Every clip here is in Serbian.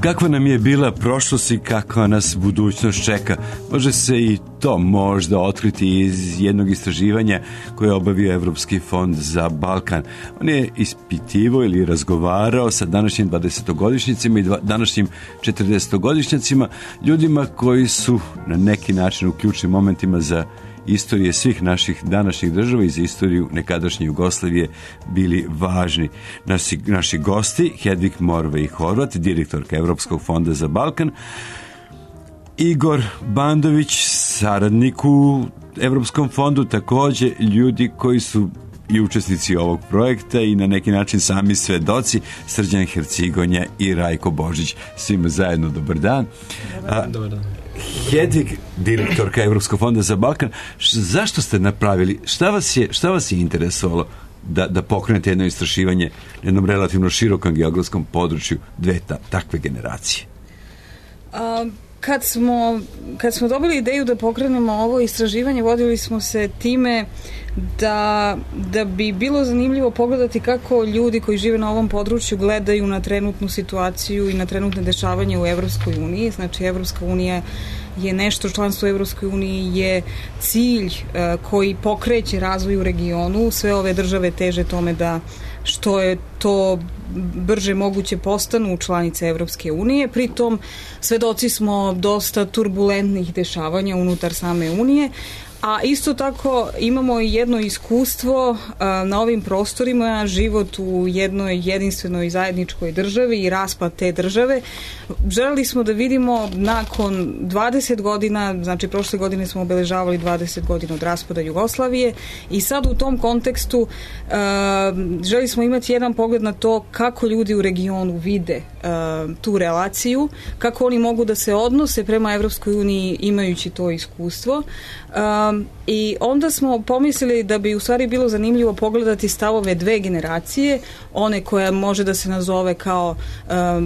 Kakva nam je bila prošlost i kakva nas budućnost čeka? Može se i to možda otkriti iz jednog istraživanja koje je obavio Evropski fond za Balkan. On je ispitivao ili razgovarao sa današnjim 20-godišnjicima i današnjim 40-godišnjacima, ljudima koji su na neki način u ključnim momentima za istorije svih naših današnjih država i za istoriju nekadašnje Jugoslavije bili važni. Naši gosti, Hedvig Morvej Horvat, direktorka Evropskog fonda za Balkan, Igor Bandović, saradnik u Evropskom fondu, takođe ljudi koji su i učesnici ovog projekta i na neki način sami svedoci, Srđan Hercigonja i Rajko Božić. Svima zajedno dobar dan. Dobar dan. Hedvig, direktorka Evropskog fonda za Balkan, zašto ste napravili, šta vas je interesovalo da pokrenete jedno istraživanje na jednom relativno širokom geografskom području dve takve generacije? Kad smo dobili ideju da pokrenemo ovo istraživanje, vodili smo se time da bi bilo zanimljivo pogledati kako ljudi koji žive na ovom području gledaju na trenutnu situaciju i na trenutne dešavanje u Evropskoj uniji. Znači, Evropska unija je nešto, članstvo u Evropskoj uniji je cilj koji pokreće razvoj u regionu. Sve ove države teže tome da što je to brže moguće postanu članice Evropske unije. Pritom svedoci smo dosta turbulentnih dešavanja unutar same unije, a isto tako imamo i jedno iskustvo na ovim prostorima, život u jednoj jedinstvenoj zajedničkoj državi i raspad te države. Želeli smo da vidimo nakon 20 godina, znači prošle godine smo obeležavali 20 godina od raspada Jugoslavije i sad u tom kontekstu želeli smo imati jedan pogled na to kako ljudi u regionu vide tu relaciju, kako oni mogu da se odnose prema Evropskoj uniji imajući to iskustvo. I onda smo pomislili da bi u stvari bilo zanimljivo pogledati stavove dve generacije, one koja može da se nazove kao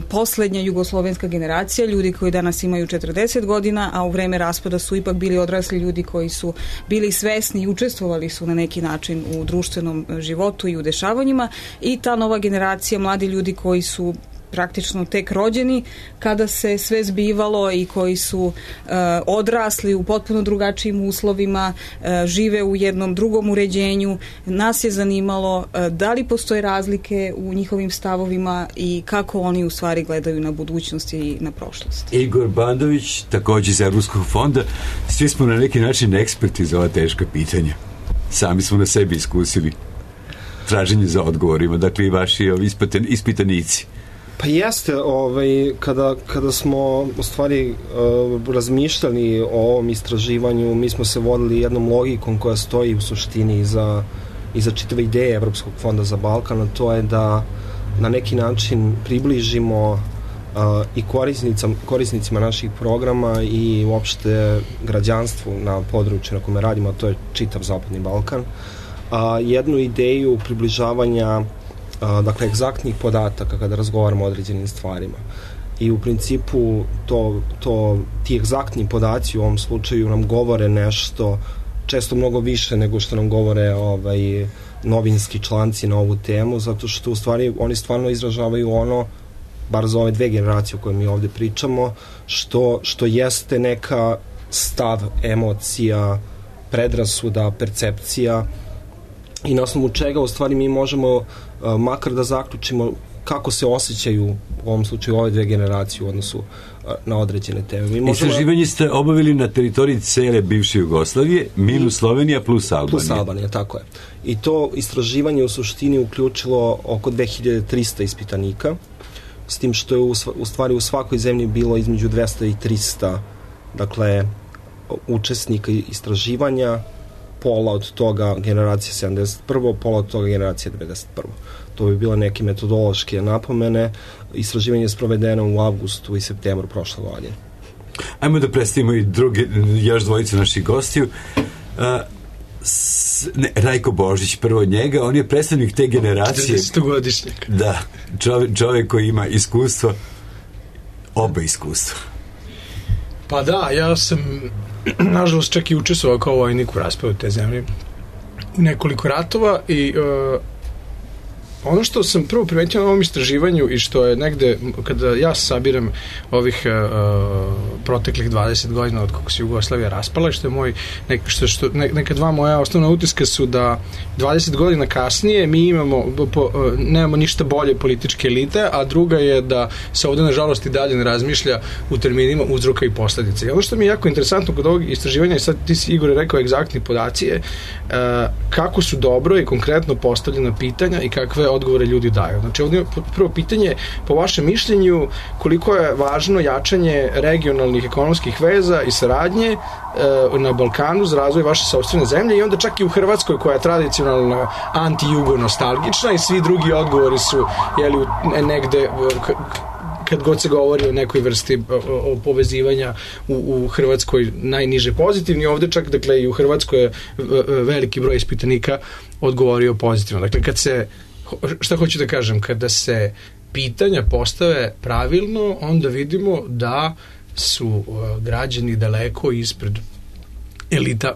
poslednja jugoslovenska generacija, ljudi koji danas imaju 40 godina, a u vreme raspada su ipak bili odrasli ljudi koji su bili svesni i učestvovali su na neki način u društvenom životu i u dešavanjima, i ta nova generacija, mladi ljudi koji su praktično tek rođeni kada se sve zbivalo i koji su odrasli u potpuno drugačijim uslovima, žive u jednom drugom uređenju. Nas je zanimalo da li postoje razlike u njihovim stavovima i kako oni u stvari gledaju na budućnost i na prošlost. Igor Bandović, takođe iz Evropskog fonda. Svi smo na neki način eksperti za ova teška pitanja. Sami smo na sebi iskusili traženje za odgovorima, dakle i vaši ispitanici. Pa jeste, kada smo u stvari razmišljali o ovom istraživanju, mi smo se vodili jednom logikom koja stoji u suštini iza čitave ideje Evropskog fonda za Balkan, a to je da na neki način približimo i korisnicima naših programa i uopšte građanstvu na području na kome radimo, a to je čitav Zapadni Balkan, jednu ideju približavanja dakle, egzaktnih podataka kada razgovaramo o određenim stvarima. I u principu ti egzaktni podaci u ovom slučaju nam govore nešto često mnogo više nego što nam govore novinski članci na ovu temu, zato što u stvari oni stvarno izražavaju ono, bar za ove dve generacije o kojoj mi ovde pričamo, što jeste neka stav, emocija, predrasuda, percepcija, i na osnovu čega u stvari mi možemo makar da zaključimo kako se osjećaju u ovom slučaju ove dve generacije u odnosu na određene teme. Istraživanje ste obavili na teritoriji cele bivše Jugoslavije, minus Slovenija plus Albanija. Plus Albanija, tako je. I to istraživanje u suštini uključilo oko 2300 ispitanika, s tim što je u stvari u svakoj zemlji bilo između 200 i 300 dakle, učesnika istraživanja, pola od toga generacija 71. pola od toga generacija 91. To bi bile neke metodološke napomene. Istraživanje je sprovedeno u avgustu i septembru prošle godine. Ajmo da predstavimo i još dvojicu naših gostiju. Rajko Božić, prvo od njega, on je predstavnik te generacije. 40-godišnjak. Da, čovjek koji ima iskustvo, oba iskustva. Pa da, ja sam nažalost čak i učestvovao kao vojnik u raspadu te zemlje u nekoliko ratova i ono što sam prvo primetio na ovom istraživanju i što je negde, kada ja sabiram ovih proteklih 20 godina od kako se Jugoslavija raspala, što je moj, neka dva moja osnovna utiska su da 20 godina kasnije mi nemamo ništa bolje političke elite, a druga je da se ovde nažalost i dalje ne razmišlja u terminima uzroka i posledice. I ono što mi je jako interesantno kod ovog istraživanja, i sad ti si, Igor, rekao egzaktni podaci, je kako su dobro i konkretno postavljena pitanja i kakve odgovore ljudi daju. Znači, ovdje je prvo pitanje, po vašem mišljenju, koliko je važno jačanje regionalnih ekonomskih veza i saradnje na Balkanu za razvoj vaše sopstvene zemlje i onda čak i u Hrvatskoj koja je tradicionalno anti-jugo nostalgična i svi drugi odgovori su negde kad god se govori o nekoj vrsti o povezivanja u Hrvatskoj najniže pozitivni, ovde čak, dakle, i u Hrvatskoj je veliki broj ispitanika odgovorio pozitivno. Dakle, šta hoću da kažem, kada se pitanja postave pravilno, onda vidimo da su građani daleko ispred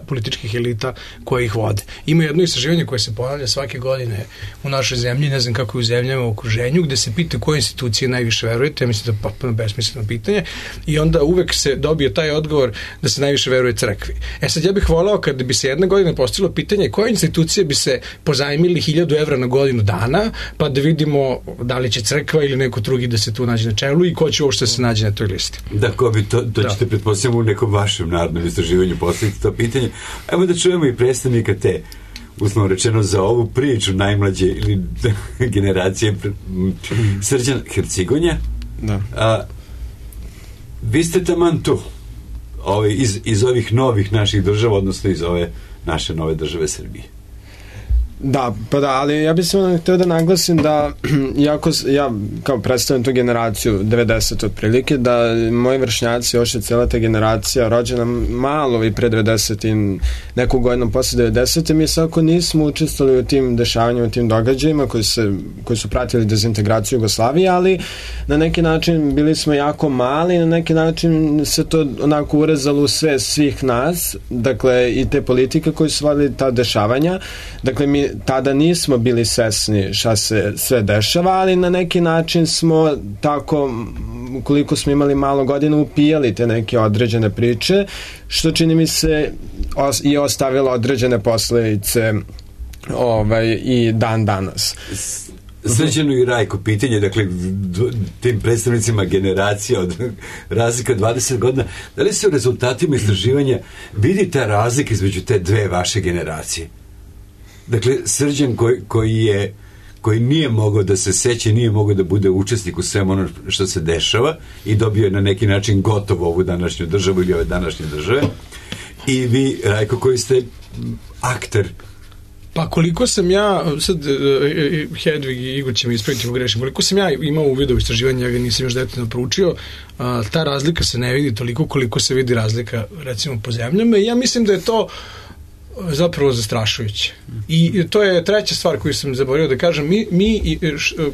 političkih elita koje ih vode. Ima jedno istraživanje koje se ponavlja svake godine u našoj zemlji, ne znam kako je u zemljama u okruženju, gde se pita koje institucije najviše verujete, ja mislim da je potpuno besmisleno pitanje, i onda uvek se dobije taj odgovor da se najviše veruje crkvi. Sad ja bih voleo kada bi se jedna godina postavilo pitanje koje institucije bi se pozajmili 1000 evra na godinu dana, pa da vidimo da li će crkva ili neko drugi da se tu nađe na čelu i ko će uopšte se nađe na toj listi. Da, ko bi to ćete pretpostavljamo u nekom vašem narodnom istraživanju postaviti to pitanje. Evo da čujemo i predstavnika te, uslovno rečeno, za ovu priču najmlađe ili generacije, Srđan Hercigonja. Da. Vi ste taman tu, iz ovih novih naših država, odnosno iz ove naše nove države Srbije. Da, pa da, ali ja bih samo htio da naglasim da iako ja kao predstavljam tu generaciju 90 otprilike, da moji vršnjaci, još je cijela ta generacija rođena malo i pre 90 i neku godinu posle 90 mi svako nismo učestvovali u tim dešavanjima, u tim događajima koji su pratili dezintegraciju Jugoslavije, ali na neki način bili smo jako mali, na neki način se to onako urezalo u sve svih nas, dakle i te politike koje su vodili ta dešavanja, dakle mi tada nismo bili svesni šta se sve dešava, ali na neki način smo tako, koliko smo imali malo godina, upijali te neke određene priče, što čini mi se i ostavilo određene posledice i dan danas. Srećeno i Rajko, pitanje, dakle, tim predstavnicima generacija od razlika 20 godina, da li se u rezultatima istraživanja vidi ta razlika između te dve vaše generacije? Dakle, Srđan koji nije mogao da se seće, nije mogao da bude učesnik u svemu ono što se dešava i dobio je na neki način gotovo ovu današnju državu ili ove današnje države, i vi, Rajko, koji ste akter. Pa koliko sam ja, sad Hedvig i Igor će mi ispraviti ako grešim, koliko sam ja imao uvid u istraživanje, ja ga nisam još detaljno proučio, ta razlika se ne vidi toliko koliko se vidi razlika recimo po zemljama, i ja mislim da je to zapravo zastrašujuće. I to je treća stvar koju sam zaboravio da kažem, mi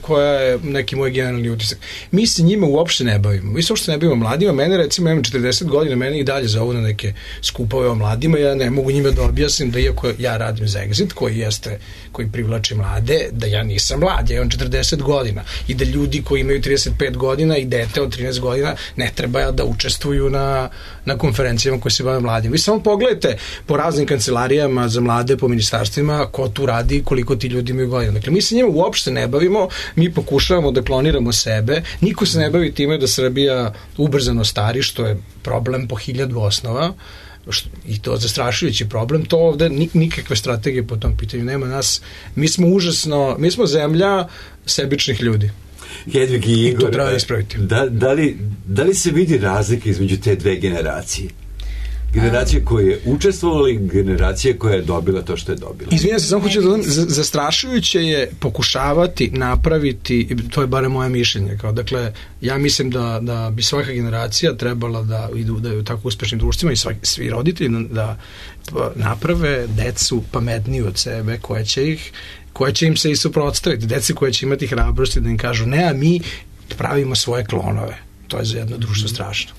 koja je neki moj generalni utisak, mi se njima uopšte ne bavimo. Mi se uopšte ne bavimo mladima. Mene, recimo, imam 40 godina, mene i dalje zovu na neke skupove o mladima, ja ne mogu njima da objasnim da iako ja radim za Exit, koji privlači mlade, da ja nisam mlad, ja imam 40 godina i da ljudi koji imaju 35 godina i dete od 13 godina ne treba da učestvuju na konferencijama koje se bave mladima. Vi samo pogledajte po raznim kancelarijama za mlade, po ministarstvima, ko tu radi, koliko ti ljudi imaju godina. Dakle, mi se njima uopšte ne bavimo, mi pokušavamo da kloniramo sebe, niko se ne bavi time da Srbija ubrzano stari, što je problem po 1000 osnova, i to zastrašujući problem, to ovde nikakve strategije po tom pitanju nema nas. Mi smo zemlja sebičnih ljudi. Hedvig i Igor, to treba ispraviti. Da li se vidi razlika između te dve generacije? Generacija koja je učestvovala i generacija koja je dobila to što je dobila. Izvinjam se, samo hoću da zastrašujuće je pokušavati napraviti, to je bare moje mišljenje, dakle, ja mislim da bi svaka generacija trebala da je u tako uspešnim društvima i svi roditelji da naprave decu pametniju od sebe, koje će im se i suprotstaviti, deci koje će imati hrabrosti da im kažu ne, a mi pravimo svoje klonove. To je za jedno društvo strašno.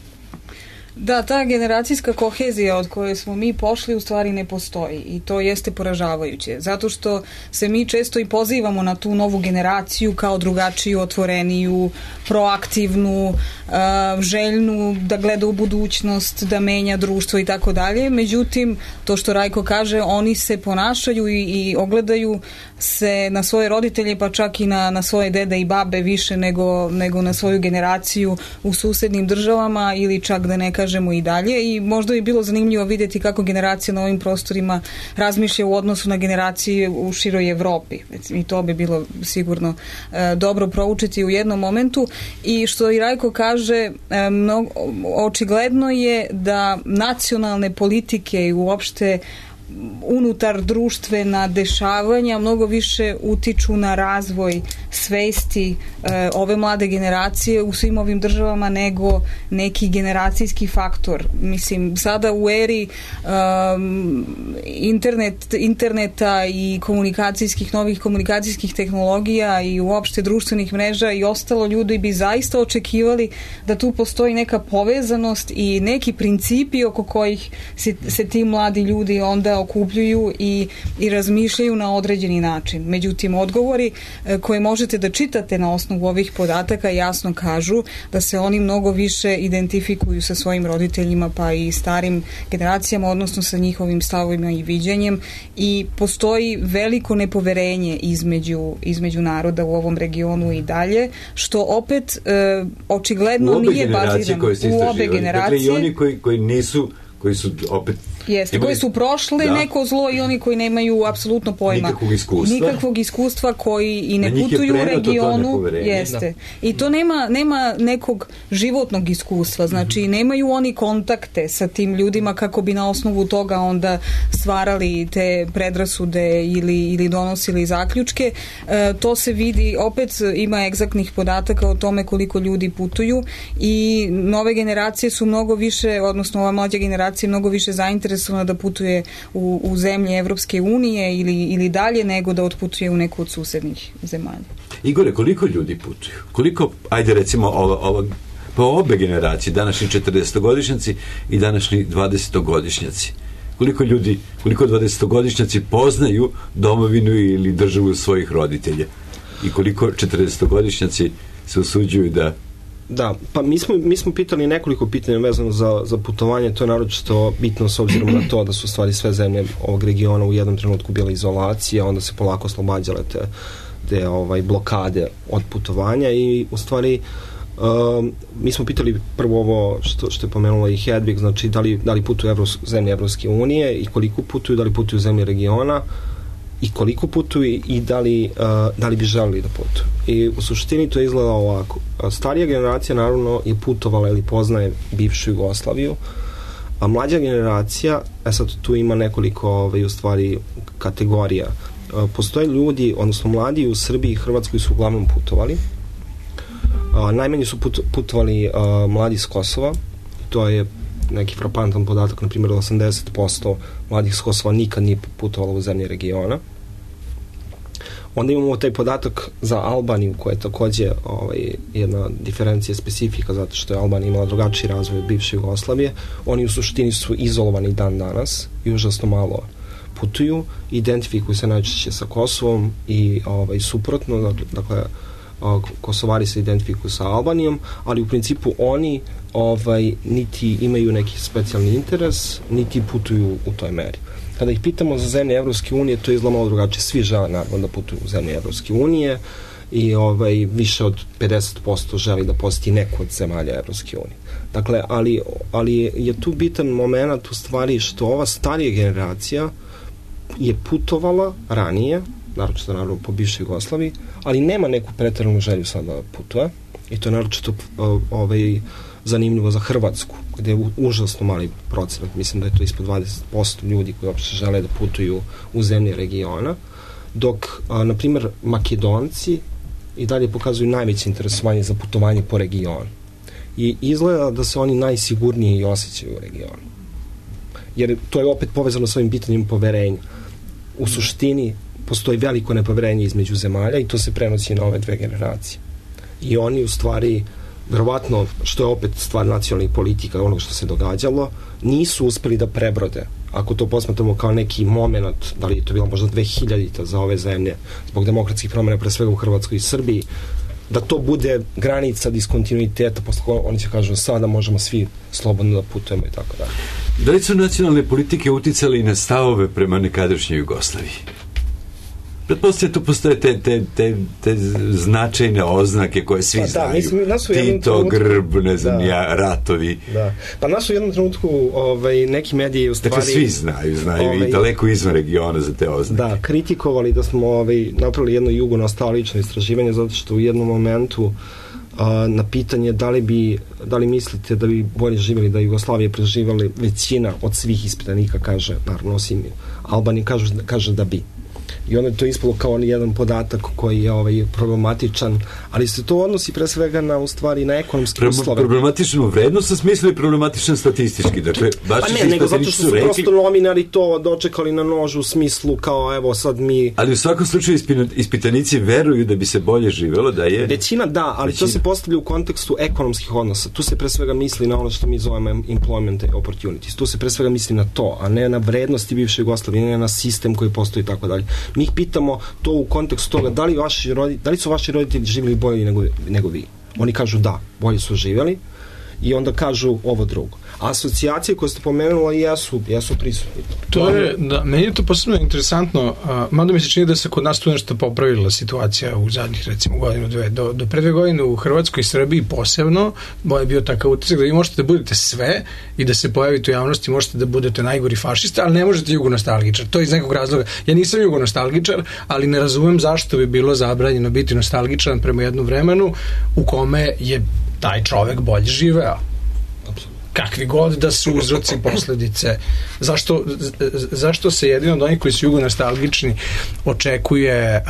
Da, ta generacijska kohezija od koje smo mi pošli u stvari ne postoji i to jeste poražavajuće, zato što se mi često i pozivamo na tu novu generaciju kao drugačiju, otvoreniju, proaktivnu, željnu da gleda u budućnost, da menja društvo i tako dalje. Međutim, to što Rajko kaže, oni se ponašaju i ogledaju se na svoje roditelje, pa čak i na svoje dede i babe više nego na svoju generaciju u susednim državama ili čak da ne kažemo i dalje, i možda bi bilo zanimljivo vidjeti kako generacija na ovim prostorima razmišlja u odnosu na generacije u široj Evropi. I to bi bilo sigurno dobro proučiti u jednom momentu. I što i Rajko kaže, očigledno je da nacionalne politike i uopšte unutar društvena dešavanja mnogo više utiču na razvoj svesti ove mlade generacije u svim ovim državama nego neki generacijski faktor. Mislim, sada u eri interneta i novih komunikacijskih tehnologija i uopšte društvenih mreža i ostalo, ljudi bi zaista očekivali da tu postoji neka povezanost i neki principi oko kojih se ti mladi ljudi onda okupljuju i razmišljaju na određeni način. Međutim, odgovori koje možete da čitate na osnovu ovih podataka jasno kažu da se oni mnogo više identifikuju sa svojim roditeljima pa i starim generacijama, odnosno sa njihovim stavovima i viđenjem, i postoji veliko nepoverenje između naroda u ovom regionu i dalje, što opet očigledno nije bazirano u obe generacije. Dakle, i oni koji su opet jeste, koji su prošle neko zlo i oni koji nemaju apsolutno pojma nikakvog iskustva, koji i ne putuju u regionu, jeste. I to nema nekog životnog iskustva, znači nemaju oni kontakte sa tim ljudima kako bi na osnovu toga onda stvarali te predrasude ili donosili zaključke. To se vidi, opet ima egzaktnih podataka o tome koliko ljudi putuju i nove generacije su mnogo više, odnosno ova mlađa generacija mnogo više zainteresovana da putuje u zemlje Evropske unije ili dalje nego da otputuje u neku od susednih zemalja. Igore, koliko ljudi putuju? Koliko, ajde recimo obe generacije, današnji 40-godišnjaci i današnji 20-godišnjaci, koliko 20-godišnjaci poznaju domovinu ili državu svojih roditelja i koliko 40-godišnjaci se usuđuju da... Da, pa mi smo pitali nekoliko pitanja vezano za putovanje, to je naročito bitno s obzirom na to da su stvari sve zemlje ovog regiona u jednom trenutku bila izolacija, onda se polako oslobađale te blokade od putovanja i u stvari mi smo pitali prvo ovo što je pomenula i Hedvig, znači da li putuju zemlje Evropske unije i koliko putuju, da li putuju zemlje regiona i koliko putuju i da li bi želeli da putuju. I u suštini to izgleda ovako. Starija generacija naravno je putovala ili poznaje bivšu Jugoslaviju, a mlađa generacija, sad tu ima nekoliko u stvari kategorija. Postoje ljudi, odnosno mladi u Srbiji i Hrvatskoj su uglavnom putovali. Najmanje su putovali mladi iz Kosova, to je neki frapantan podatak, na primjer 80% mladih s Kosova nikad nije putovalo u zemlje regiona. Onda imamo taj podatak za Albaniju, koja je takođe jedna diferencija specifika, zato što je Albanija imala drugačiji razvoj od bivše Jugoslavije. Oni u suštini su izolovani dan danas i užasno malo putuju, identifikuju se najčešće sa Kosovom i suprotno, dakle Kosovari se identifikuju sa Albanijom, ali u principu oni niti imaju neki specijalni interes, niti putuju u toj meri. Kada ih pitamo za zemlje Evropske unije, to je izgleda malo drugačije. Svi žele naravno da putuju u zemlje Evropske unije i više od 50% želi da poseti neku od zemalja Evropske unije. Dakle, ali je tu bitan moment u stvari što ova starija generacija je putovala ranije, naročito po bivšoj Jugoslaviji, ali nema neku preteranu želju sad da putuje i to je naročito zanimljivo za Hrvatsku, gde je užasno mali procenat, mislim da je to ispod 20% ljudi koji uopšte žele da putuju u zemlje regiona, dok, na primjer, Makedonci i dalje pokazuju najveće interesovanje za putovanje po regionu. I izgleda da se oni najsigurnije i osjećaju u regionu. Jer to je opet povezano s ovim pitanjem poverenja. U suštini postoji veliko nepoverenje između zemalja i to se prenosi na ove dve generacije. I oni u stvari verovatno, što je opet stvar nacionalnih politika, onog što se događalo, nisu uspeli da prebrode. Ako to posmatramo kao neki moment, da li je to bilo možda 2000-ta za ove zemlje, zbog demokratskih promjena, pre svega u Hrvatskoj i Srbiji, da to bude granica diskontinuiteta, posle koja oni će kažu sada možemo svi slobodno da putujemo i tako dalje. Da li su nacionalne politike uticali na stavove prema nekadašnjoj Jugoslaviji? Pretpostavljam, tu postoje te značajne oznake koje svi znaju. Tito, grb, ne znam, ratovi. Da. Pa nas u jednom trenutku neki mediji u stvari... Dakle, svi znaju i daleko izvan regiona za te oznake. Da, kritikovali da smo napravili jedno jugonostalgično istraživanje, zato što u jednom momentu na pitanje da li mislite da bi bolje živjeli da Jugoslavije preživali, većina od svih ispitanika kaže, naravno osim Albanije, kaže da bi. I onda je to ispalo kao jedan podatak koji je problematičan, ali se to odnosi pre svega na, u stvari, na ekonomske uslove. Problematičnu vrednost sa smislu i problematičan statistički. Dakle, nego zato što su prosto novinari to dočekali na nožu u smislu kao evo sad mi... Ali u svakom slučaju ispitanici veruju da bi se bolje živelo, da je... Većina da, ali to se postavlja u kontekstu ekonomskih odnosa. Tu se pre svega misli na ono što mi zovemo employment opportunities. Tu se pre svega misli na to, a ne na vrednosti bivše Jugoslavije, ne na sistem koji postoji i tako dalje. Mi ih pitamo to u kontekstu toga da li su vaši roditelji živjeli bolje nego vi. Oni kažu da, bolje su živjeli i onda kažu ovo drugo. A asocijacije koje ste pomenuli jesu prisutni. Meni je to posebno interesantno, mada mi se čini da se kod nas tu nešto popravila situacija u zadnjih recimo godinu, dve. Do pre 2 godine u Hrvatskoj i Srbiji posebno je bio takav utisak da vi možete da budete sve i da se pojavite u javnosti, možete da budete najgori fašista, ali ne možete jugonostalgičar. To je iz nekog razloga. Ja nisam jugonostalgičar, ali ne razumem zašto bi bilo zabranjeno biti nostalgičan prema jednom vremenu u kome je taj čovek bolje živeo. Kakvi god da su uzroci, posledice. Zašto se jedino od onih koji su jugonostalgični očekuje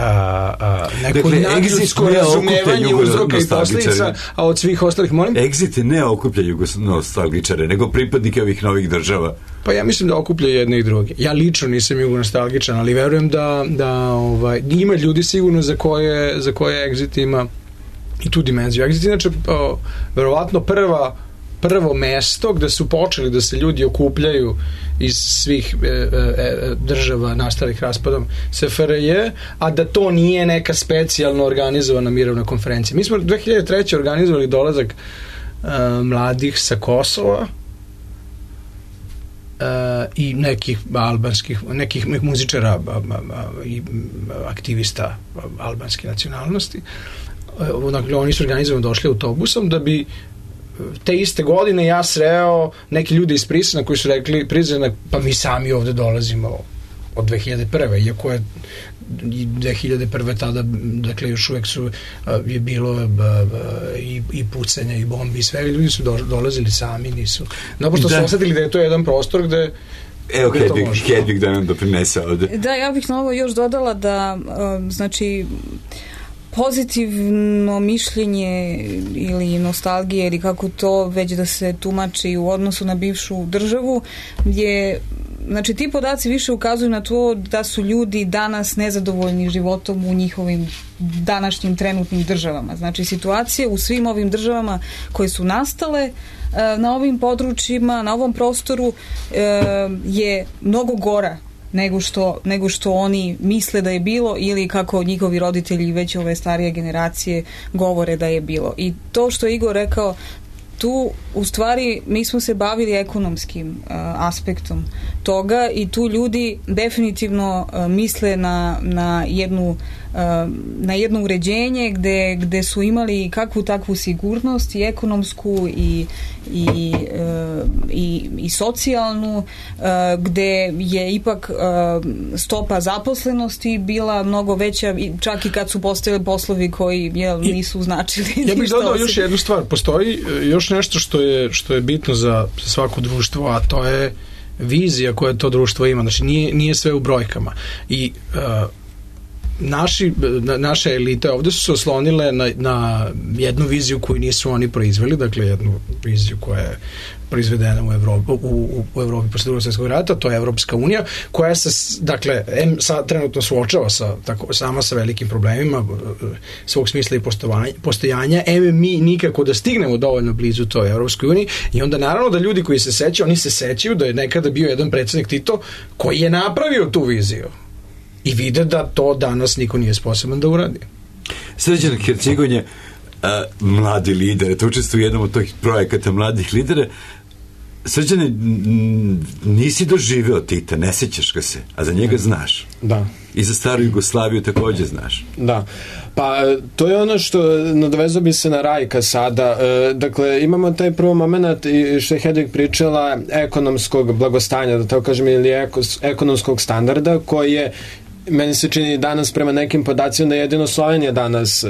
neko nadljudsko razumevanje uzroka i posledica, a od svih ostalih, molim? Exit ne okuplja jugonostalgičare, nego pripadnike ovih novih država. Pa ja mislim da okuplja jedne i druge. Ja lično nisam jugonostalgičan, ali verujem da ima ljudi sigurno za koje Exit ima i tu dimenziju. Exit inače verovatno prvo mesto gde su počeli da se ljudi okupljaju iz svih država nastalih raspadom SFRJ, a da to nije neka specijalno organizovana mirovna konferencija. Mi smo 2003. organizovali dolazak mladih sa Kosova i nekih albanskih, nekih muzičara i aktivista albanske nacionalnosti. Dakle, oni su organizovani, došli autobusom da bi te iste godine ja sreo neki ljudi iz Prisena koji su rekli Prisena, pa mi sami ovde dolazimo od 2001. Iako je 2001. tada, dakle, još uvek je bilo i pucanja i bombi i sve, ljudi su dolazili sami, nisu. Naprosto su osetili da je to jedan prostor gde evo Hedvig da nam doprinese ovde. Da, ja bih na ovo još dodala da, znači, pozitivno mišljenje ili nostalgije ili kako to već da se tumači u odnosu na bivšu državu je, znači ti podaci više ukazuju na to da su ljudi danas nezadovoljni životom u njihovim današnjim trenutnim državama. Znači situacije u svim ovim državama koje su nastale na ovim područjima, na ovom prostoru je mnogo gora nego što oni misle da je bilo ili kako njihovi roditelji već ove starije generacije govore da je bilo. I to što je Igor rekao, tu u stvari mi smo se bavili ekonomskim aspektom toga i tu ljudi definitivno misle na jedno uređenje gde su imali kakvu takvu sigurnost i ekonomsku i socijalnu, gde je ipak stopa zaposlenosti bila mnogo veća, čak i kad su postojali poslovi koji nisu značili. Ja bih dodao još jednu stvar. Postoji još nešto što je bitno za svako društvo, a to je vizija koje to društvo ima. Znači nije sve u brojkama. I naše elite ovde su se oslonile na jednu viziju koju nisu oni proizveli, dakle jednu viziju koja je proizvedena u Evropi posle Drugog svjetskog rata, to je Evropska unija, koja se, dakle, trenutno suočava sama sa velikim problemima svog smisla i postojanja, mi nikako da stignemo dovoljno blizu toj Evropskoj uniji, i onda naravno da ljudi koji se sećaju, oni se sećaju da je nekada bio jedan predsjednik Tito koji je napravio tu viziju i vide da to danas niko nije sposoban da uradi. Srđan Hercegon je mladi lider, to učestvuje u jednom od tih projekata mladih lidera. Srđane, nisi doživeo Tita, ne sećaš ga se, a za njega znaš. Da. I za staru Jugoslaviju takođe znaš. Da. Pa to je ono što nadovezao bi se na Rajka sada. Dakle, imamo taj prvo moment što je Hedvig pričala ekonomskog blagostanja, da tako kažem, ili ekonomskog standarda, koji je, meni se čini danas prema nekim podacima da jedino Slovenija danas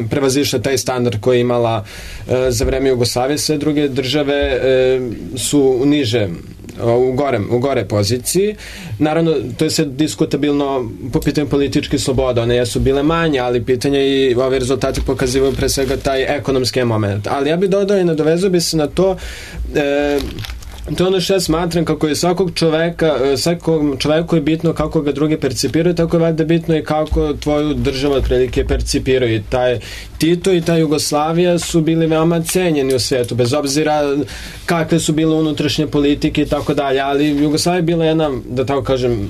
prevazišla taj standard koji je imala za vreme Jugoslavije. Sve druge države su niže, u gore poziciji. Naravno, to je sve diskutabilno po pitanju političke slobode. One jesu bile manje, ali pitanje i ove rezultate pokazivaju pre svega taj ekonomski moment. Ali ja bih dodao i nadovezao bi se na to, to je ono što ja smatram, kako je svakom čoveku je bitno kako ga drugi percipiraju, tako je valjda bitno i kako tvoju državu otprilike percipiraju. I taj Tito i ta Jugoslavija su bili veoma cenjeni u svijetu, bez obzira kakve su bile unutrašnje politike i tako dalje, ali Jugoslavija je bila jedna, da tako kažem,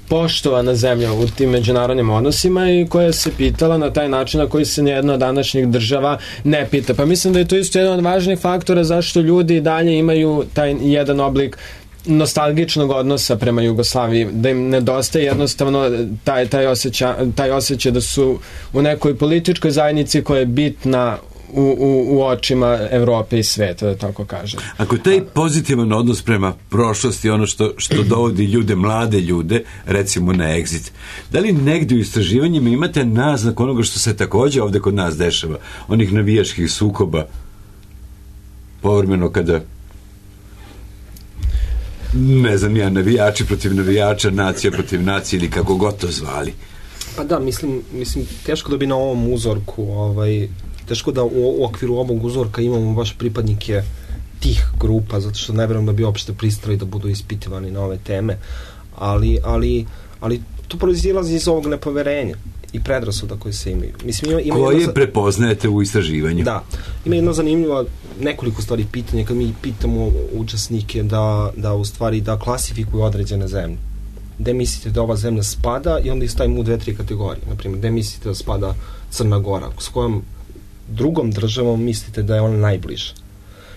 poštovana zemlja u tim međunarodnim odnosima i koja se pitala na taj način na koji se nijedna od današnjih država ne pita. Pa mislim da je to isto jedan od važnih faktora zašto ljudi dalje imaju taj jedan oblik nostalgičnog odnosa prema Jugoslaviji, da im nedostaje jednostavno taj osjećaj da su u nekoj političkoj zajednici koja je bitna u očima Evrope i sveta, da tako kažem. Ako taj pozitivan odnos prema prošlosti, ono što dovodi ljude, mlade ljude, recimo na Exit, da li negdje u istraživanjima imate naznak onoga što se takođe ovde kod nas dešava, onih navijačkih sukoba, povremeno kada ne znam ja, navijači protiv navijača, nacija protiv nacije ili kako god to zvali? Pa da, mislim teško da bi na ovom uzorku teško da u okviru ovog uzorka imamo baš pripadnike tih grupa, zato što ne vjerujem da bi uopšte pristali da budu ispitivani na ove teme, ali to proizilazi iz ovog nepoverenja i predrasuda koje se imaju. Mislim, koje prepoznajete u istraživanju? Da. Ima jedno zanimljivo, nekoliko stvari pitanja, kad mi pitamo učesnike da u stvari da klasifikuju određene zemlje. Gde mislite da ova zemlja spada i onda ih stavimo u 2-3 kategorije. Naprimjer, gde mislite da spada Crna Gora, s kojom drugom državom mislite da je ona najbliža.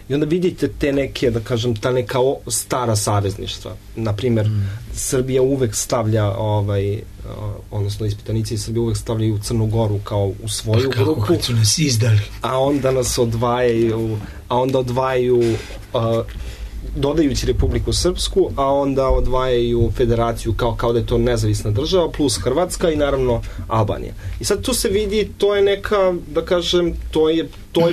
I onda vidite te neke, da kažem, ta neka stara savezništva. Naprimjer, Srbija uvek stavlja, odnosno ispitanici iz Srbije uvek stavljaju Crnu Goru kao u svoju grupu. Kako su nas izdali. A onda nas odvajaju dodajući Republiku Srpsku, a onda odvajaju federaciju kao da je to nezavisna država, plus Hrvatska i naravno Albanija. I sad tu se vidi, to je neka, da kažem, to je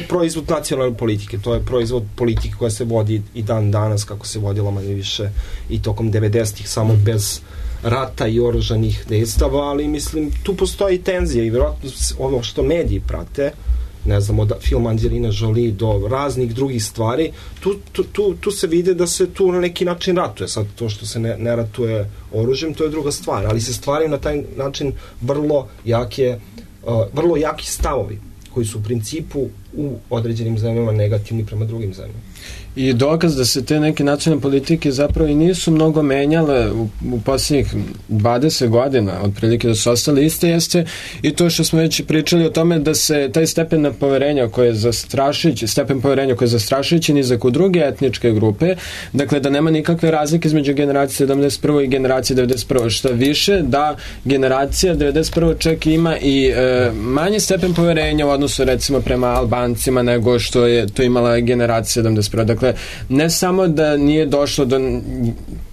proizvod nacionalne politike, to je proizvod politike koja se vodi i dan danas, kako se vodila manje više i tokom 90-ih, samo bez rata i oružanih dejstava, ali mislim, tu postoji tenzija i vjerojatno ono što mediji prate, ne znam, od filma Angelina Jolie do raznih drugih stvari, tu se vide da se tu na neki način ratuje. Sad to što se ne ratuje oružjem, to je druga stvar, ali se stvaraju na taj način vrlo jaki stavovi koji su u principu u određenim zemljama negativni prema drugim zemljama. I dokaz da se te neke nacionalne politike zapravo i nisu mnogo menjale u posljednjih 20 godina, otprilike da su ostale iste, jeste i to što smo već pričali o tome da se taj stepen poverenja koji je zastrašujući nizak u druge etničke grupe, dakle da nema nikakve razlike između generacije 71. i generacije 91. Šta više, da generacija 91. čak ima i manji stepen poverenja u odnosu recimo prema Albaniji Balkancima nego što je to imala generacija 71. Dakle, ne samo da nije došlo do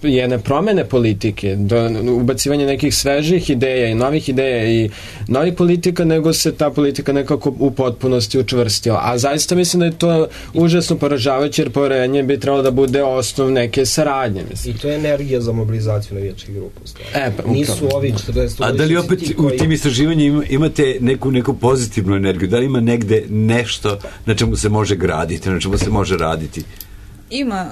jedne promene politike, do ubacivanja nekih svežih ideja i novih ideja i novih politika, nego se ta politika nekako u potpunosti učvrstila. A zaista mislim da je to užasno poražavajuće, jer poverenje bi trebalo da bude osnov neke saradnje. Mislim. I to je energija za mobilizaciju navijačkih grupa. Nisu ovi 40... A da li opet u tim istraživanjima imate neku pozitivnu energiju? Da li ima negde nešto na čemu se može graditi, na čemu se može raditi? Ima.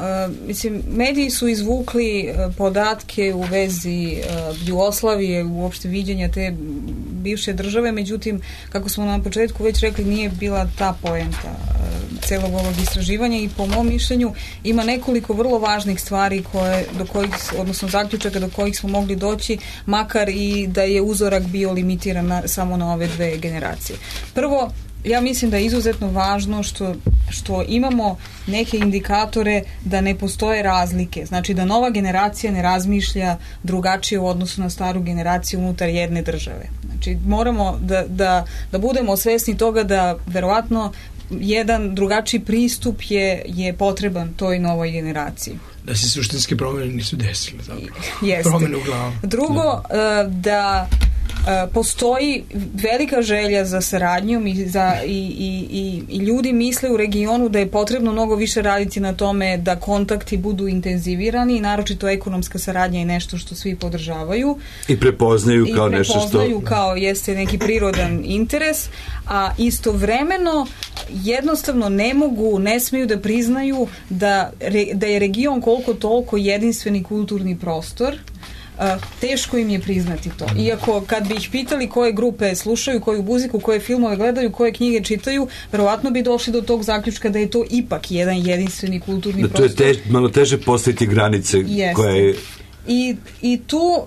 Mislim, mediji su izvukli podatke u vezi Jugoslavije, uopšte viđenja te bivše države, međutim, kako smo na početku već rekli, nije bila ta poenta celog ovog istraživanja i po mom mišljenju ima nekoliko vrlo važnih stvari do kojih, odnosno zaključaka do kojih smo mogli doći, makar i da je uzorak bio limitiran samo na ove dve generacije. Prvo, ja mislim da je izuzetno važno što imamo neke indikatore da ne postoje razlike. Znači da nova generacija ne razmišlja drugačije u odnosu na staru generaciju unutar jedne države. Znači moramo da budemo svesni toga da verovatno jedan drugačiji pristup je potreban toj novoj generaciji. Da se suštinske promjene nisu desile. Jeste. Promjene u glavu. Drugo, da postoji velika želja za saradnjom i ljudi misle u regionu da je potrebno mnogo više raditi na tome da kontakti budu intenzivirani i naročito ekonomska saradnja je nešto što svi podržavaju. I prepoznaju kao nešto što... prepoznaju kao jeste neki prirodan interes, a istovremeno jednostavno ne smiju da priznaju da je region koliko toliko jedinstveni kulturni prostor. Teško im je priznati to. Iako kad bi ih pitali koje grupe slušaju, koju muziku, koje filmove gledaju, koje knjige čitaju, verovatno bi došli do tog zaključka da je to ipak jedan jedinstveni kulturni prostor. To je malo teže postaviti granice koje... I tu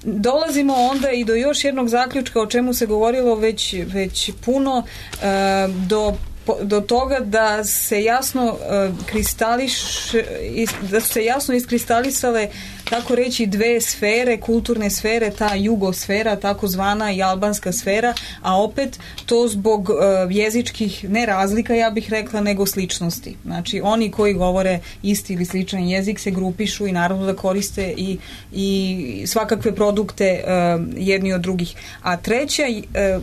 dolazimo onda i do još jednog zaključka o čemu se govorilo već puno, do toga da se jasno da su se jasno iskristalisale tako reći dve sfere, kulturne sfere, ta jugosfera takozvana i albanska sfera, a opet to zbog jezičkih ne razlika, ja bih rekla, nego sličnosti. Znači oni koji govore isti ili sličan jezik se grupišu i naravno da koriste i svakakve produkte jedni od drugih. A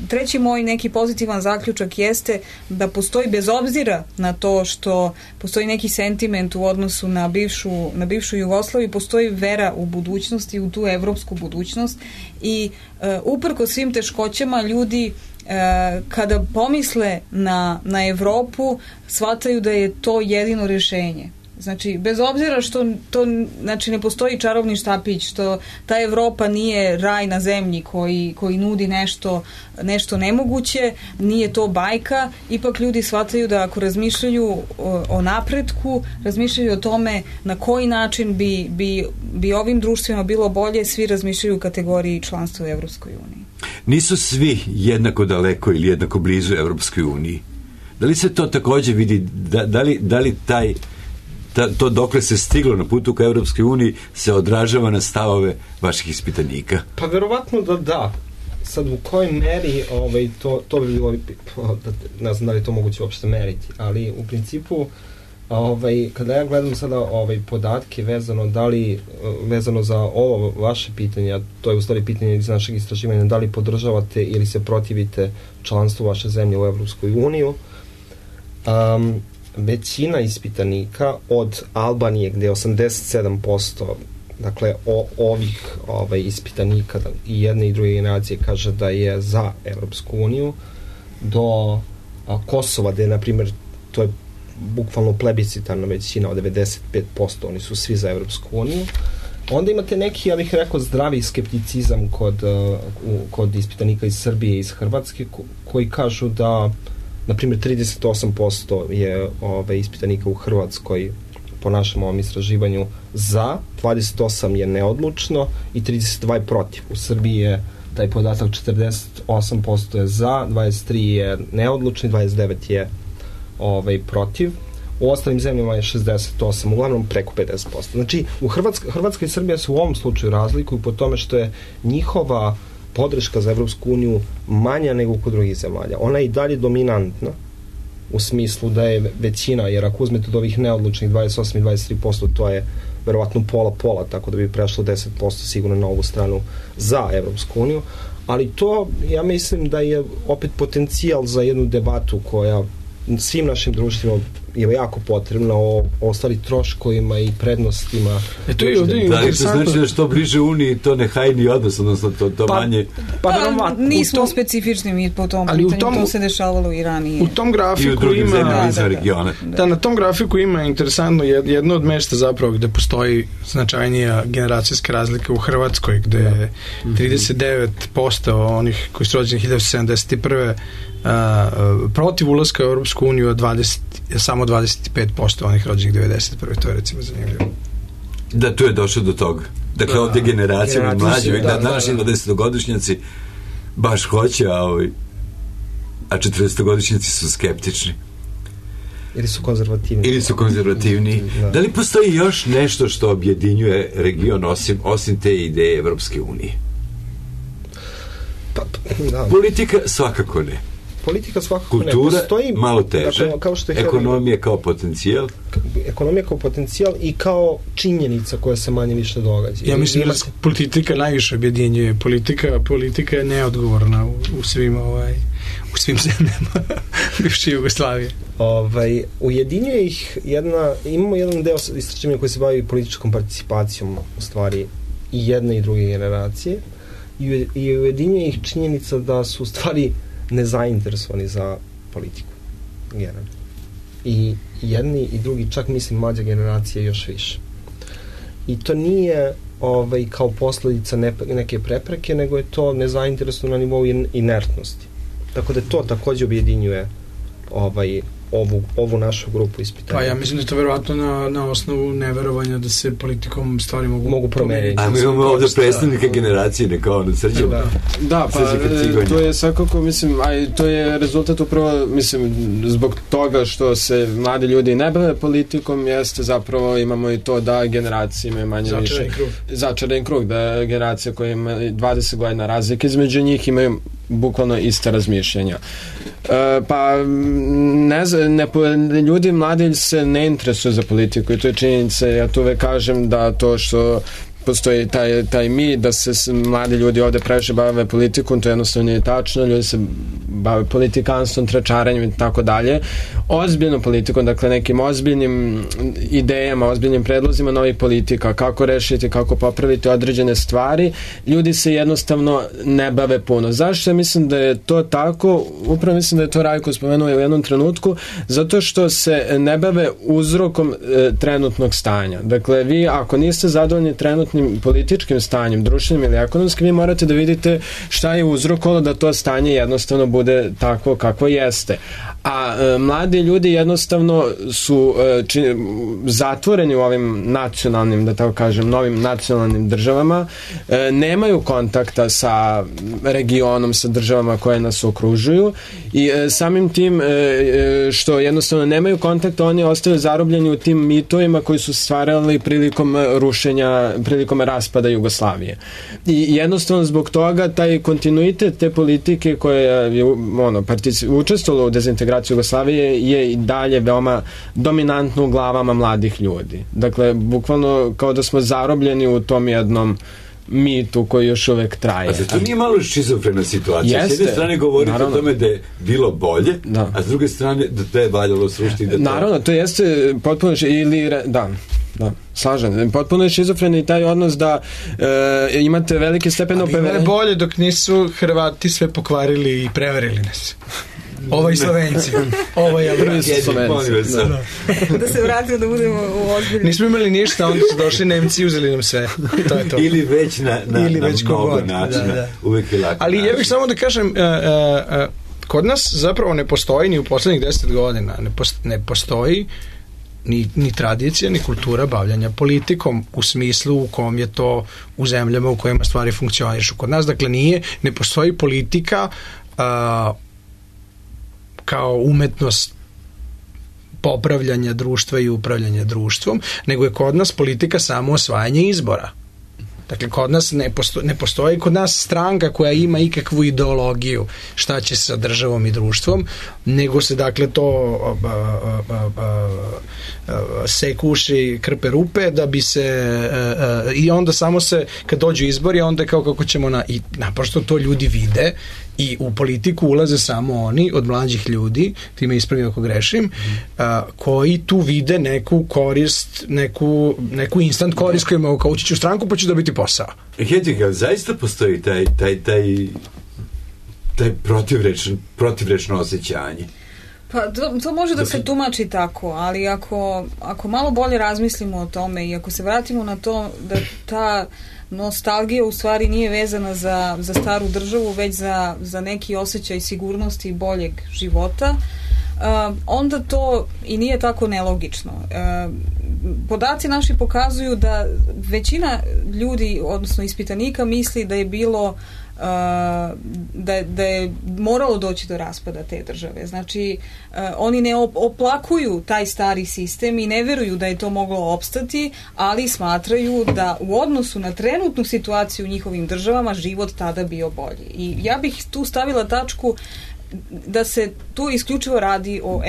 treći moj neki pozitivan zaključak jeste da postoji, bez obzira na to što postoji neki sentiment u odnosu na bivšu Jugoslaviju, postoji vera u budućnosti, u tu evropsku budućnost i uprko svim teškoćama ljudi kada pomisle na Evropu shvataju da je to jedino rješenje. Znači, bez obzira što to, znači, ne postoji čarobni štapić, što ta Evropa nije raj na zemlji koji nudi nešto nemoguće, nije to bajka, ipak ljudi shvataju da ako razmišljaju o napretku, razmišljaju o tome na koji način bi ovim društvima bilo bolje, svi razmišljaju u kategoriji članstva u Evropskoj uniji. Nisu svi jednako daleko ili jednako blizu Evropskoj uniji. Da li se to također vidi, da li to dokle se stiglo na putu ka Evropskoj uniji se odražava na stavove vaših ispitanika? Pa verovatno da. Sad u kojoj meri to bi bilo, ne znam da li to moguće uopšte meriti, ali u principu kada ja gledam sada podatke vezano za ovo vaše pitanje, to je u stvari pitanje iz našeg istraživanja, da li podržavate ili se protivite članstvu vaše zemlje u Evropskoj uniju, većina ispitanika od Albanije, gde je 87%, dakle ovih ispitanika i jedne i druge generacije kaže da je za Evropsku uniju, do Kosova, gde je, na primjer, to je bukvalno plebiscitarna većina od 95%, oni su svi za Evropsku uniju. Onda imate neki, ja bih rekao, zdravi skepticizam kod ispitanika iz Srbije i iz Hrvatske, koji kažu da, na primjer, 38% je ispitanika u Hrvatskoj po našem ovom istraživanju za, 28% je neodlučno i 32% protiv. U Srbiji je taj podatak 48% je za, 23% je neodlučno i 29% je protiv. U ostalim zemljama je 68%, uglavnom preko 50%. Znači, Hrvatska i Srbija se u ovom slučaju razlikuju po tome što je njihova podrška za Evropsku uniju manja nego kod drugih zemalja. Ona je i dalje dominantna, u smislu da je većina, jer ako uzmete od ovih neodlučnih 28 i 23%, to je verovatno pola, tako da bi prešlo 10% sigurno na ovu stranu za Evropsku uniju, ali to, ja mislim da je opet potencijal za jednu debatu koja svim našim društvima je jako potrebna o stvari troškovima i prednostima. To je ovdje da li to znači da što bliže Uniji to ne hajni odnos, odnosno to manje... Nismo specifični mi po tom pitanju, to se dešavalo i ranije. U tom grafiku ima... na tom grafiku ima interesantno jedno od mesta zapravo gde postoji značajnija generacijska razlika u Hrvatskoj, gde je 39% onih koji su rođeni 1971. Protiv ulaska u Europsku uniju, samo 25% onih rođenih 91. To je recimo zanimljivo. Da, tu je došlo do toga. Dakle, ovdje generacija mlađi, današnji 20-godišnjaci baš hoće, a 40-godišnjaci su skeptični. Ili su konzervativni. Da li postoji još nešto što objedinjuje region osim te ideje Evropske unije? Politika svakako ne. Kultura, malo teže. Ekonomija kao potencijal. Ekonomija kao potencijal i kao činjenica koja se manje više događa. Ja mislim da politika najviše objedinjuje. Politika je neodgovorna u svim zemljama bivše Jugoslavije. Ujedinjuje ih imamo jedan deo istraživanja koji se bavi političkom participacijom u stvari i jedne i druge generacije i ujedinjuje ih činjenica da su u stvari nezainteresovani za politiku generalno. I jedni i drugi, čak mislim mlađa generacija još više. I to nije kao posljedica neke prepreke, nego je to nezainteresovano na nivou inertnosti. Tako da to također objedinjuje ovu našu grupu ispitanja. Pa ja mislim da je to verovatno na osnovu neverovanja da se politikom stvari mogu promeniti. A mi imamo ovdje predstavnike generacije, neka ono srđemo. Da, pa to je svakako, mislim, to je rezultat upravo, mislim, zbog toga što se mladi ljudi ne bave politikom, jeste zapravo imamo i to da generacije imaju manje više. Začarani krug, da generacija koja ima 20 godina razlike između njih imaju bukvalno ista razmišljanja. Pa ne znam, ljudi mladi se ne interesuju za politiku i to je činjenica. Ja tu uvek kažem da to što postoji taj mit da se mladi ljudi ovde previše bave politikom, to jednostavno nije tačno. Ljudi se bave politikanstvom, tračaranjem i tako dalje. Ozbiljnom politikom, dakle nekim ozbiljnim idejama, ozbiljnim predlozima novih politika, kako rešiti, kako popraviti određene stvari, ljudi se jednostavno ne bave puno. Zašto? Ja mislim da je to tako, upravo mislim da je to Rajko spomenuo u jednom trenutku, zato što se ne bave uzrokom trenutnog stanja. Dakle, vi ako niste zadovoljni trenutnim političkim stanjem, društvenim ili ekonomskim, vi morate da vidite šta je uzrokovalo da to stanje jednostavno bude takvo kakvo jeste. A mladi ljudi jednostavno su zatvoreni u ovim nacionalnim, da tako kažem, novim nacionalnim državama, nemaju kontakta sa regionom, sa državama koje nas okružuju i samim tim što jednostavno nemaju kontakta, oni ostaju zarobljeni u tim mitovima koji su stvarali prilikom rušenja, prilikom raspada Jugoslavije. I jednostavno zbog toga taj kontinuitet te politike koja je učestvovala u dezintegraciji Jugoslavije je i dalje veoma dominantno u glavama mladih ljudi. Dakle, bukvalno kao da smo zarobljeni u tom jednom mitu koji još uvek traje. A to nije malo šizofrena situacija? S jedne strane govorite o tome da je bilo bolje, a s druge strane da to je valjalo srušiti. Naravno, to jeste potpuno slažem. Potpuno je šizofren i taj odnos da imate velike stepene bilo je bolje dok nisu Hrvati sve pokvarili i prevarili nas. Ovo i Slovenci. Ovo je Slovenci. Da se vratimo da budemo u ozbiljni. Nismo imali ništa, onda su došli Nemci i uzeli nam sve. To je to. Ili već na mnogo načina. Uvijek je lako. Ali ja bih samo da kažem, kod nas zapravo ne postoji ni u poslednjih 10 godina. Ne postoji ni tradicija, ni kultura bavljanja politikom u smislu u kom je to u zemljama u kojima stvari funkcionišu. Kod nas, dakle, ne postoji politika kao umetnost popravljanja društva i upravljanja društvom, nego je kod nas politika samo osvajanje izbora. Dakle, kod nas ne postoji kod nas stranka koja ima ikakvu ideologiju šta će sa državom i društvom, nego se, dakle, to sekuši krpe rupe da bi se i onda samo se, kad dođu izbori, onda je kao kako ćemo i naprosto to ljudi vide i u politiku ulaze samo oni od mlađih ljudi, ti me ispravi ako grešim, koji tu vide neku korist, neku instant korist koju imaju kao ući ću u stranku pa ću dobiti posao. Hedvig, ali zaista postoji taj protivrečno osjećanje? Pa to može da se tumači tako, ali ako malo bolje razmislimo o tome i ako se vratimo na to da ta nostalgija u stvari nije vezana za staru državu, već za neki osjećaj sigurnosti i boljeg života, onda to i nije tako nelogično. Podaci naši pokazuju da većina ljudi, odnosno ispitanika, misli da je bilo da je moralo doći do raspada te države. Znači, oni ne oplakuju taj stari sistem i ne veruju da je to moglo opstati, ali smatraju da u odnosu na trenutnu situaciju u njihovim državama život tada bio bolji. I ja bih tu stavila tačku da se tu isključivo radi o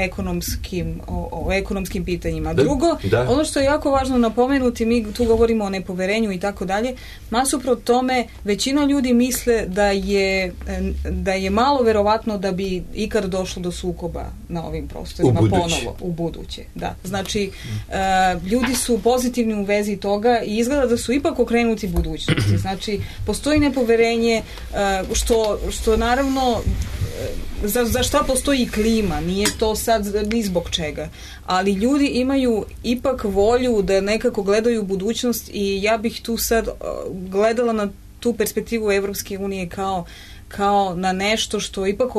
ekonomskim pitanjima. Drugo, ono što je jako važno napomenuti, mi tu govorimo o nepoverenju i tako dalje, nasuprot tome većina ljudi misle da je malo verovatno da bi ikad došlo do sukoba na ovim prostorima ponovo u buduće. Da. Znači, ljudi su pozitivni u vezi toga i izgleda da su ipak okrenuti budućnosti. Znači, postoji nepoverenje što naravno za šta postoji klima, nije to sad ni zbog čega, ali ljudi imaju ipak volju da nekako gledaju budućnost i ja bih tu sad gledala na tu perspektivu Evropske unije kao na nešto što ipak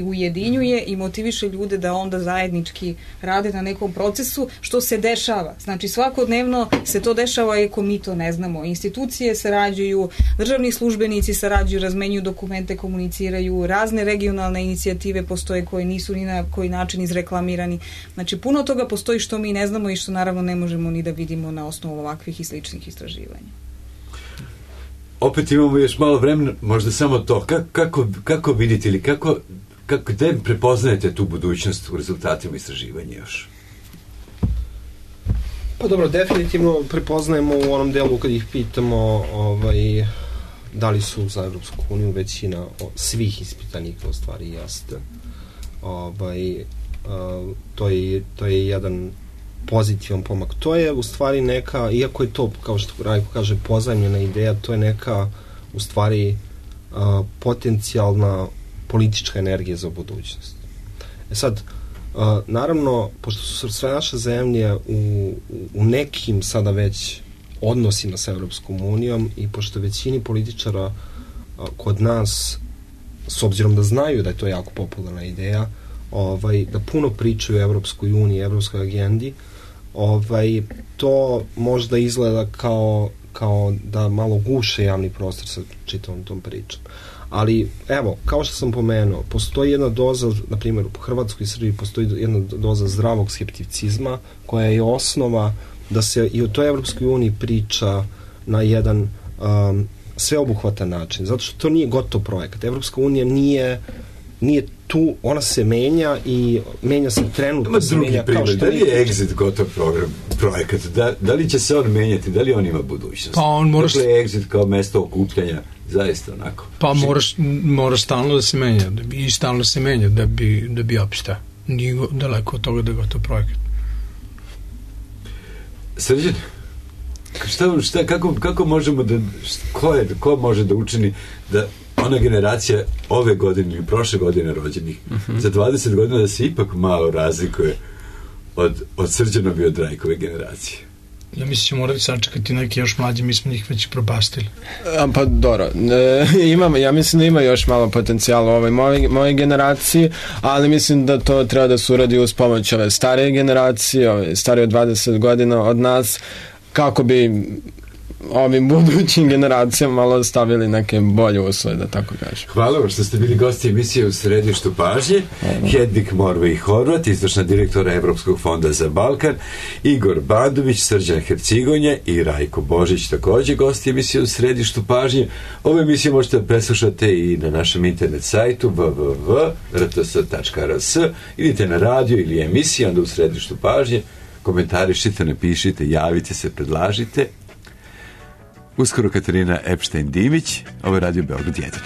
ujedinjuje i motiviše ljude da onda zajednički rade na nekom procesu, što se dešava. Znači, svakodnevno se to dešava, iako mi to ne znamo. Institucije sarađuju, državni službenici sarađuju, razmenjuju dokumente, komuniciraju, razne regionalne inicijative postoje koje nisu ni na koji način izreklamirani. Znači, puno toga postoji što mi ne znamo i što naravno ne možemo ni da vidimo na osnovu ovakvih i sličnih istraživanja. Opet imamo još malo vremena, možda samo to. Kako vidite ili kako gde prepoznajete tu budućnost u rezultatima istraživanja još? Pa dobro, definitivno prepoznajemo u onom delu kad ih pitamo da li su za Evropsku uniju, većina svih ispitanika u stvari jeste. To je jedan pozitivan pomak. To je u stvari neka, iako je to, kao što Rajko kaže, pozajmljena ideja, to je neka u stvari potencijalna politička energija za budućnost. Sad, naravno, pošto su sve naše zemlje u nekim sada već odnosima sa Evropskom unijom i pošto većini političara kod nas, s obzirom da znaju da je to jako popularna ideja, da puno pričaju o Evropskoj uniji, Evropskoj agendi, to možda izgleda kao da malo guše javni prostor sa čitavom tom pričom. Ali, evo, kao što sam pomenuo, postoji jedna doza, na primjer, u Hrvatskoj i Srbiji postoji jedna doza zdravog skepticizma, koja je osnova da se i o toj Evropskoj uniji priča na jedan sveobuhvatan način, zato što to nije gotov projekat. Evropska unija nije tu, ona se menja i menja se trenutno. Drugi primjer, da li je Exit gotov projekat? Da li će se on menjati? Da li on ima budućnost? Pa on moraš... Dakle, Exit kao mesto okupljanja, zaista onako. Pa moraš stalno da se menja i stalno se menja da bi opstao. Nije daleko od toga da je gotov projekat. Srđan, kako možemo da... Ko može da učini da ona generacija ove godine ili prošle godine rođenih za 20 godina da se ipak malo razlikuje od Srđanove i od Rajkove generacije? Ja mislim će morati sačekati neki još mlađi, mi smo njih već propastili. Pa dobro, ja mislim da ima još malo potencijala u ovoj moje generaciji, ali mislim da to treba da se uradi uz pomoć ove starije generacije, ove starije od 20 godina od nas, kako bi ovim budućim generacijama malo ostavili neke bolje uslove, da tako kažem. Hvala vam što ste bili gosti emisije U središtu pažnje. Hedvig Morvej Horvat, izvršna direktora Evropskog fonda za Balkan, Igor Bandović, Srđan Hercigonja i Rajko Božić, takođe gosti emisije U središtu pažnje. Ovu emisiju možete preslušati i na našem internet sajtu www.rts.rs. Idite na radio ili emisiju, onda U središtu pažnje. Komentarišite, napišite, javite se, predlažite. Uskoro Katarina Epštajn-Dimić, ovo je Radio Beograd 1.